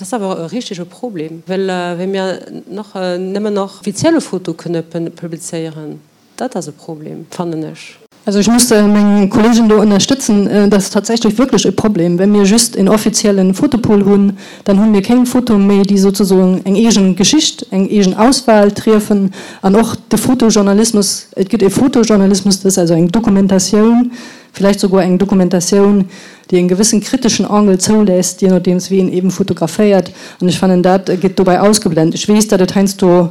Dat ass awer e richtege Problem, well wa mir nach nëmmen nach offizielle Foto kënne publizéieren, dat ass e Problem, fannen ech. Also ech muss meng Kollegen do ënnerstëtzen, dat ass tatsächlech wierklech e Problem. Wa mir just en offizielle Fotopool hunn, dann hu mir keng Fotoe méi, déi souzesoen eng eegen Geschicht, eng eegen Auswahl triefen. An och de Fotojournalismus, et gëtt e Fotojournalismus, dat ass also eng Dokumentatioun, vläicht souguer eng Dokumentatioun, déi en gewëssen kriteschen Angle zoulässt, je nodeems wéi een eben fotograféiert, an ech fannen dat gëtt dobäi ausgeblend. Ech weess dat et heiansdo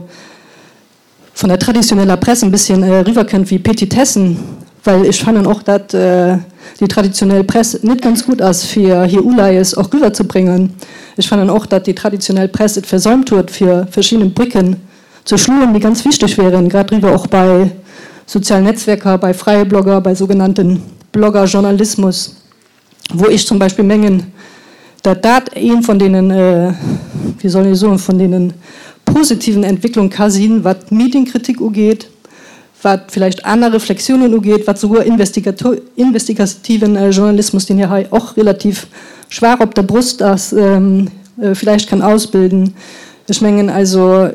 vun der traditioneller Press en bësschen eriwwer kënnt wéi Petitessen, well ech fannen och dat déi traditionell Press net ganz gutt ass fir hir Uleies och riwwer ze bréngen. Ech fannen och dat déi traditionell Press et versäumt huet fir verschidden Brécken ze schloen, déi ganz wichteg wären, grad riwwer och bei sozialen Netzwerker, bei freie Blogger, bei sougenannten Bloggerjournalismus, wou ech zum Beispill mengen, dat dat ee vun deenen, wéi soll ee soen, vun deene positiven Entwécklung ka sinn, wat d'Medienkritik ugeet, wat villäicht aner Reflexiounen ugeet, wat souguer investigativen Journalismus, deen jo hei och relativ schwaach op der Brust ass, villäicht kann ausbilden. Ech mengen also,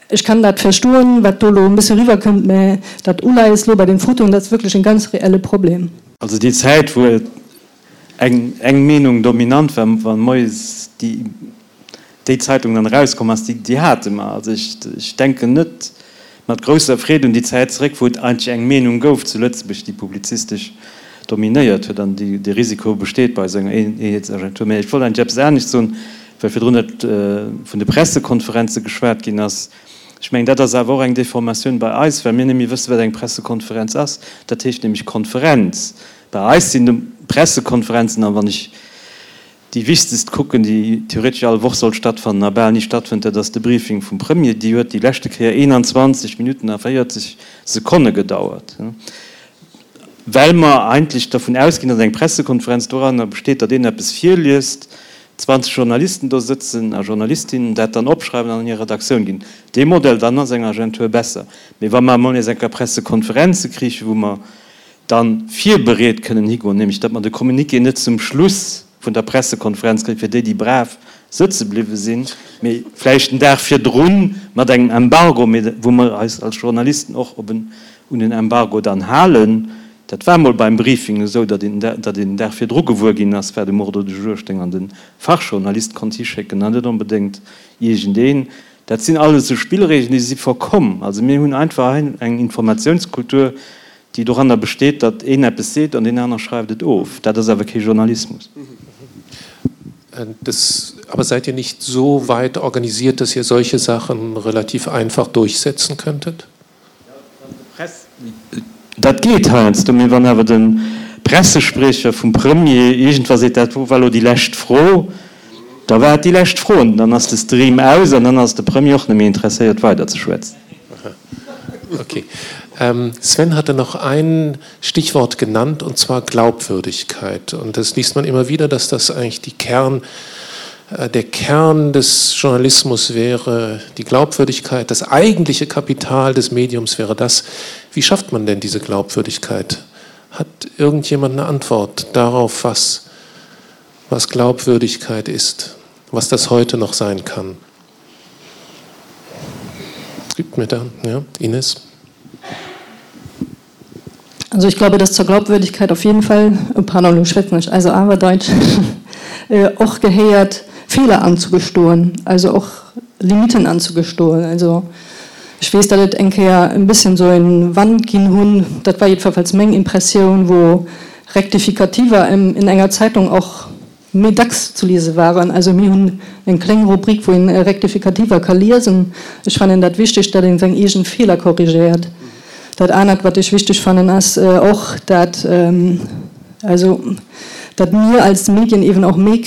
ech kann dat verstoen, wat do elo e bësse riwwerkënnt, mä dat Uleies elo bei den Fotoen, dat ass wierklech e ganz reelle Problem. Also déi Zäit, wou et eng eng Meenung dominant war, wa moies déi déi Zeitung dann erauskomm ass, déi déi hate mer. Also ech ech denken net mat grousser Freed un déi Zäit zeréck, wou et eigentlech eng Meenung gouf zu Lëtzebuerg, déi publizistesch dominéiert huet. An déi dee Risiko besteet bei esou enger Eenheetsagentur. Mä ech wollt eigentlech eppes anescht soen, well virdrun et vun de Pressekonferenze geschwat ginn ass. Ech mengen, dat ass awer och eng Deformatioun bei eis, well mir net méi wëssen, wat eng Pressekonferenz ass. Dat heescht nämlech Konferenz. Bei eis sinn de Pressekonferenzen, a wann ech déi wichtegst kucken, déi theoretesch all Woch sollt stattfannen a bal ni stattfënnt, dat ass de Briefing vum Premier, déi huet déi leschte Kéier 21 Minutten a 40 Sekonne gedauert, well mer eigentlech dervun ausginn, datt eng Pressekonferenz doranner besteet, datt een eppes virliest, 20 Journalisten do sëtzen a Journalistinnen dat dann opschreiwen an an hir Redaktioun ginn. Dee Modell, dann ass eng Agentur besser. Mee wa mer emol nees eng Kéier Pressekonferenze kriichen, wou mer dann virbereet kënnen higoen, nämlech datt mer de Communiqué net zum Schluss vun der Pressekonferenz kréien, fir déi, déi brav sëtze bliwwe sinn, mee vläicht den Dag virdrun mat engem Embargo, mee wou mer eis als Journalisten och op en, un en Embargo dann halen. Dat war mol beim Briefing esou, datt een, datt een den Dag virdru gewuer ginn ass, wat um Ordre du jour stéing an de Fachjournalist konnt hischécken an net onbedéngt iergendeen. Dat sinn alles esou Spillregeln, déi si verkomm. Also mir hunn einfach hei eng Informatiounskultur, déi doranner besteet, datt een eppes seet an deen aner schreift et of. Dat ass awer kee Journalismus. Das, aber seid ihr nicht so weit organisiert, dass ihr solche Sachen relativ einfach durchsetzen könntet? Dat geet heiansdo, mee wann awer de Pressespriecher vum Premier iergendwa seet, dat war elo déi lescht Fro, da war et déi lescht Fro an dann ass de Stream aus an dann ass de Premier och net méi interesséiert weiderzeschwätzen. Okay. Sven hatte noch ein Stichwort genannt und zwar Glaubwürdigkeit. Und das liest man immer wieder, dass das eigentlich die Kern, der Kern des Journalismus wäre, die Glaubwürdigkeit, das eigentliche Kapital des Mediums wäre das. Wie schafft man denn diese Glaubwürdigkeit? Hat irgendjemand eine Antwort darauf, was, was Glaubwürdigkeit ist, was das heute noch sein kann? Gibt mir da ja, Ines. Also ich glaube, dass zur Glaubwürdigkeit auf jeden Fall oh, pardon, schwätzen nicht, also aber Deutsch och gehéiert Feeler anzugestoen, also och Limiten anzugestoen. Also ech weess, datt et eng Kéier e bësschen esou en Wand ginn hunn, dat war jiddwerfalls meng Impressioun, wou Rektifikativer in enger Zeitung och méi dacks ze liese waren. Also mir hunn eng kléng Rubrik, wou een Rektifikativer ka liesen. Ech fannen dat wichteg, datt een seng eegen Feeler korrigéiert. Dat anert, wat ech wichteg fannen, ass och, dat also dat mir als Medien eben och méi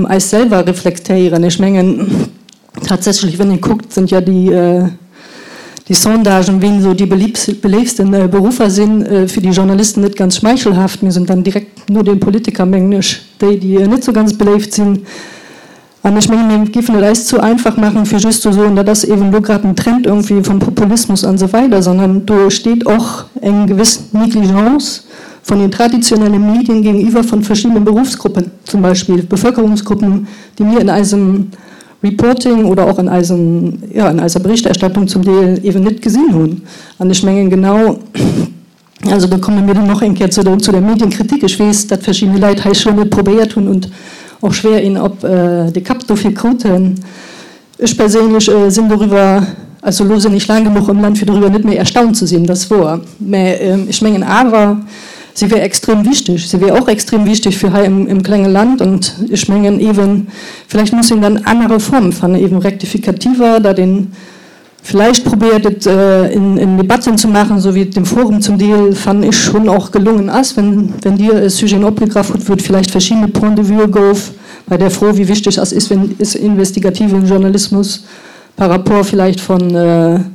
eis selwer reflektéieren. Ech mengen, Tatsächlich, wenn ee kuckt, sind ja déi déi Sondagen, wien esou déi beléiftsten Beruffer sinn, fir déi Journalisten net ganz schmeichelhaft. Mir sinn dann direkt no den Politiker, mengen ech, déi, déi net esou ganz beléift sinn. An ech mengen, mir géifen et eis zu einfach maachen, fir just ze soen, dat ass eeben elo grad en Trend irgendwie vum Populismus an esou weider, sondern do steet och eng gewëss Négligence. von den traditionellen Medien gegenüber von verschiedenen Berufsgruppen, zum Beispiel Bevölkerungsgruppen, déi mir in eisem Reporting oder och an eisem, jo, an eiser Berichterstattung zum Deel eeben net gesinn hunn. An ech mengen genau, also do komme mir dann och eng Kéier zu der, zu der Medienkritik. Ech weess, datt verschidde Leit hei schonn et probéiert hunn und och schwer een op de Kapp dofir kruten. Ech perséinlech sinn doriwwer, also elo sinn ech laang genuch am Land fir doriwwer net méi erstaunt ze sinn, dat ass wouer, mä ech mengen awer, se wär extrem wichteg. Se wär och extrem wichteg fir hei im klenge Land und ech mengen eeben, vläicht muss een dann aner Formen fannen, eeben rektifikativer, datt een vläicht probéiert et in Debatten ze maachen, esou wéi et dem Forum zum Deel, fannen ech, schonn och gelongen ass, wenn wenn Dir e Sujeten opgegraff hutt, wou et vläicht verschiddene Points de vue gouf bei der Fro, wéi wichteg ass ist wenn ist investigativen Journalismus par rapport vielleicht von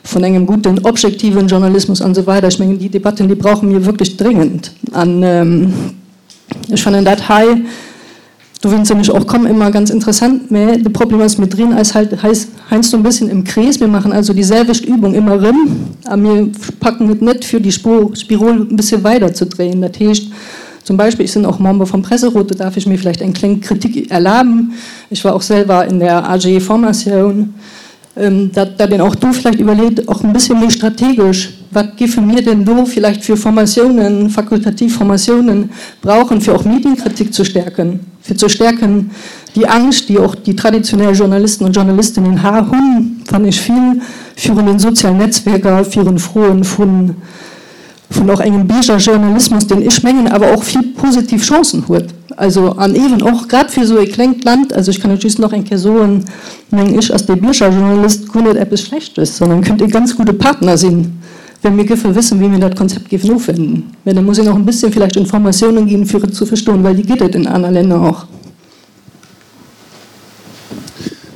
von engem guten objektiven Journalismus an esou weider. Ech mengen, déi Debatten, déi brauche mir wierklech dringend an ech fannen dat hei, Dowéinst sinn ech och komm, ëmmer ganz interessant, mä de Problem ass, mir drehen eis halt heiansdo e bësschen im Krees, mir maachen also déi selwecht Übung ëmmer erëm a mir packen et net fir déi Spirol e bëssche weider ze dréien. Dat heescht zum Beispill, ech sinn och Member vum Presserot, do darf ech mir vläicht eng kléng Kritik erlaben, ech war och selwer in der AG Formation, datt een och do vläicht iwwerleet, och e bëssche méi strategesch, Wat géife mir denn do vläicht fir Formatiounen, fakultativ Formatiounen brauchen, fir och Medienkritik ze stärken, fir ze stärken déi Angscht, déi och déi traditionell Journalisten und Journalistinnen hunn, fannen ech vill, virun den sozialen Netzwerker, virun Froen vun vun och engem Biergerjournalismus, deen, ech mengen, awer och vill positiv Chancen huet, also an eeben och grad fir esou e klengt Land, also ech kann et just nach eng Kéier soen, mengen ech, ass dee Biergerjournalist guer net eppes Schlechtes, sondern kënnt e ganz gudde Partner sinn, wa mir géife wëssen, wéi mir dat Konzept géifen ofwenden. Mä da muss een och e bësschen vielleicht Informatiounen ginn, fir et ze verstoen, well déi gëtt et in aner Länner och.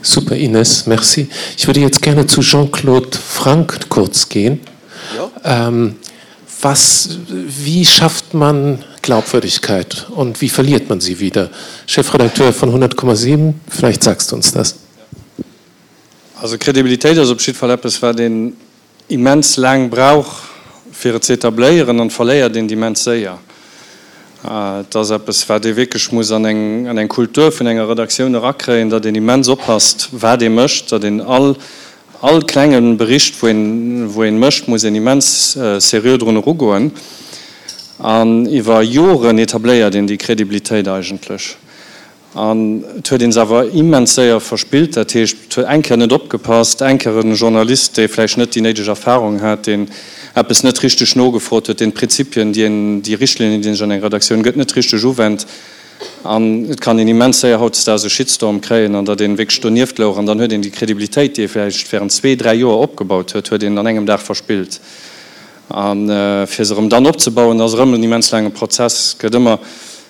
Super Ines, merci. Ich würde jetzt gerne zu Jean-Claude Frank kurz gehen. Ja. Ähm, was, wie schafft man Glaubwürdigkeit und wie verliert man sie wieder? Chefredakteur von 100,7, vielleicht sagst du uns das. Also Kredibilitéit ass op jiddwer Fall eppes, wat een immens laang brauch fir et ze etabléieren an verléiert een immens séier. Et ass eppes wat ee wierklech muss an eng an eng Kultur vun enger Redaktioun erakréien, datt een immens oppasst wat ee mécht, datt een all all klenge Bericht wou een wou een mécht, muss een immens seriö drun erugoen an iwwer Joren etabléiert een déi Kredibilitéit eigentlech. An et huet een se awer immens séier verspillt. Dat heescht, et huet eng Kéier net opgepasst, eng Kéier e Journalist, dee vläicht net déi néideg Erfahrung hat, deen eppes net richteg nogefrot huet, deen d'Prinzipien, déi een, déi Richtlinien, déi een sech an enger Redaktioun gëtt, net richteg uwennt. An et kann een immens séier hautdesdaags e Shitstorm kréien, an datt een wierklech donieft louch. An dann huet een déi Kredibilitéit, déi ee vläicht während zwee, dräi Joer opgebaut huet, huet een an engem Dag verspillt. A fir se erëm dann opzebauen, ass erëm en immens laange Prozess. Et gëtt ëmmer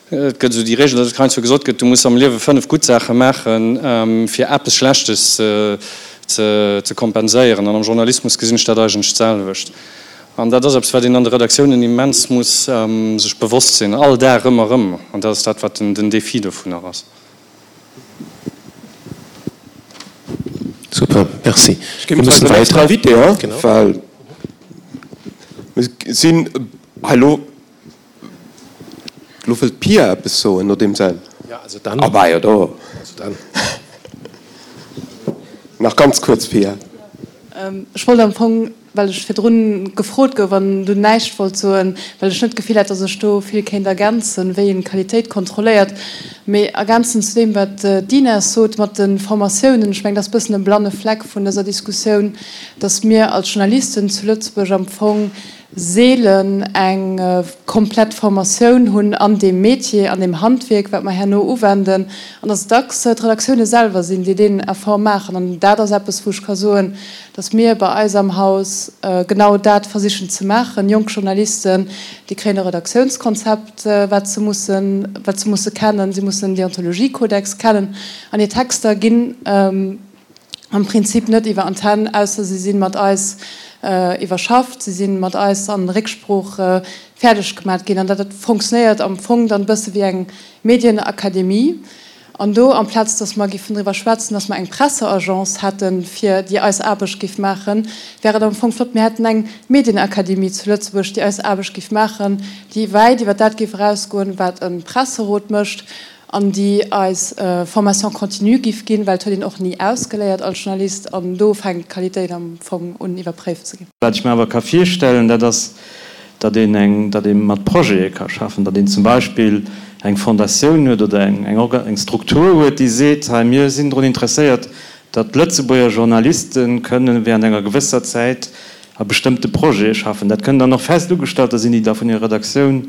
Et gëtt esou déi Regel, datt et heiansdo gesot gëtt, du muss am Liewe 5 gutt Saache maachen, fir eppes Schlechtes ze kompenséieren. An am Journalismus gesinn ech dat eigentlech d'selwecht. An dat ass eppes, wat een an de Redaktiounen immens muss sech bewosst sinn, all Dag ëmmer erëm. An dat ass dat, wat den Défi dovunner ass. Super, merci. Ech géif eis den nächsten Invité, well mir sinn hei elo. Lo wëllt d'Pia eppes soen, nodeem se. Ja, also dann. Ah bah jo, do. Also dann. Nach ganz kuerz, Pia. Ech wollt am Fong, well ech virdrun gefrot gouf an dunn näischt wollt soen, well ech net d'Gefill hat, datt ech do vill kéint ergänzen, wéi een d'Qualitéit kontrolléiert, mee ergänzen zu deem, wat d'Ines sot mat de Formatiounen. Ech mengen, dat ass e bëssen e blanne Fleck vun dëser Diskussioun, datt mir als Journalisten zu Lëtzebuerg am Fong seelen eng komplett Formatioun hunn an deem Métier, an deem Handwierk, wat mer herno uwenden, an dass et dacks d'Redaktioune selwer sinn, déi deen Effort maachen. An dat ass eppes, wou ech ka soen, dass mir bei eis am Haus genau dat versichen ze maachen. Jonk Journalisten, déi kréien e Redaktiounskonzept, wat se mussen, wat se musse kennen. Si mussen den Deontologiekodex kennen an hir Texter ginn, am Prinzip net iwwer Antenn, ausser si si mat eis iwwerschafft, si si mat eis an Récksprooch fäerdeg gemat ginn. An dat fonctionnéiert am Fong dann e bësse wéi eng Medienakademie. An do, amplaz datt mer giffen driwwer schwätzen, datt mer eng Presseagence hätten, fir déi eis Aarbecht giff maachen, wär et am Fong flott, mir hätten eng Medienakademie zu Lëtzebuerg, déi eis Aarbecht giff maachen, déi wäit iwwer dat géif erausgoen, wat e Presserot mécht, an déi eis Formation continue giff ginn, well et huet een och ni ausgeléiert als Journalist, an do fänkt d'Qualitéit am Fong un iwwerpréift ze ginn. Wat ech mer awer ka virstellen, dat ass, datt een eng, datt ee mat Projete ka schaffen, datt een zum Beispill eng Fondatioun huet oder eng, eng Orga, eng Struktur huet, déi seet, hei mir sinn drun interesséiert, datt Lëtzebuerger Journaliste kënnen während enger gewësser Zäit a bestëmmte Projete schaffen. Dat kënnen dann och fest Ugestalter sinn, déi da vun hirer Redaktioun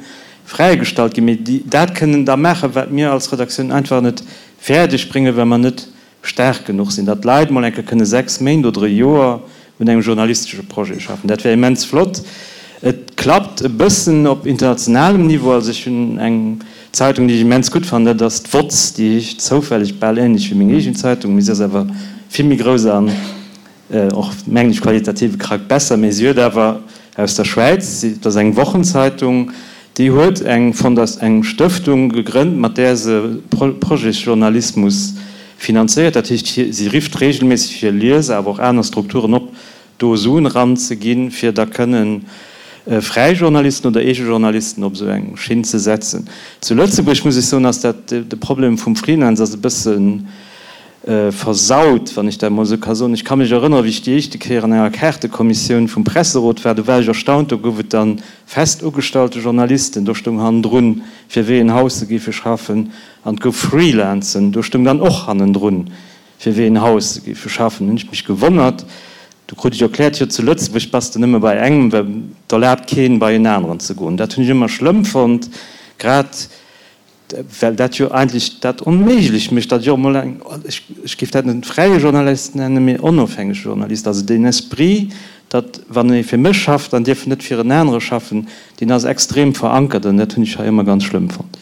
fräigestallt ginn, mee déi dat kënnen da maachen, wat mir als Redaktioun einfach net fäerdeg bréngen, well mer net staark genuch sinn, datt d'Leit mol eng Kéier kënne 6 Méint oder e Joer un engem journalistesche Projet schaffen. Dat wär immens flott. Et klappt e bëssen op internationalem Niveau. Also ech hunn eng Zeitung, déi ech immens gutt fannen, dat ass d'WOZ, déi heescht zoufälleg bal ähnlech wéi meng eegen Zeitung, mee si ass awer vill méi grouss an och, mengen ech, qualitativ e Krack besser, mee si huet awer aus der Schwäiz, dat ass eng Wochenzeitung, déi huet eng Fondat eng Stëftung gegrënnt, mat där se Projetsjournalismus finanzéiert. Dat heescht, si rifft regelméisseg hir Lieser, awer och aner Strukturen op, do Suen eranzeginn, fir da kënnen fräi Journalisten oder eege Journalisten op esou eng Schinn ze setzen. Zu Lëtzebuerg, muss ech soen, ass dat, de Problem vum Freelance ass e bëssen, versaut, wann ech dat emol esou ka soen. Ech ka mech erënneren, wéi ech déi éischte Kéier an enger Kaartekommissioun vum Presserot war, do war ech erstaunt, do gouf et da fest ugestallte Journalisten, do stoung hannendrun, fir wéi een Haus se géife schaffen, an et gouf Freelancen, do stoung dann och hannendrun, fir wéi een Haus se géife schaffen. Hunn ech mech gewonnert. Do krut ech erkläert, jo zu Lëtzebuerg bass de nëmme bei engem, well et erlaabt keen, bei en aneren ze goen. Dat hunn ech ëmmer schlëmm fonnt, grad Well dat jo eigentlech dat onméiglech mécht, datt ech och emol eng, ech géif dat net fräie Journalist nennen, mee onofhängege Journalist, also deen Esprit, datt wann ee fir mech schafft, dann dierf en net fir en anere schaffen, deen ass extrem verankert an dat hunn ech hei ëmmer ganz schlëmm fonnt.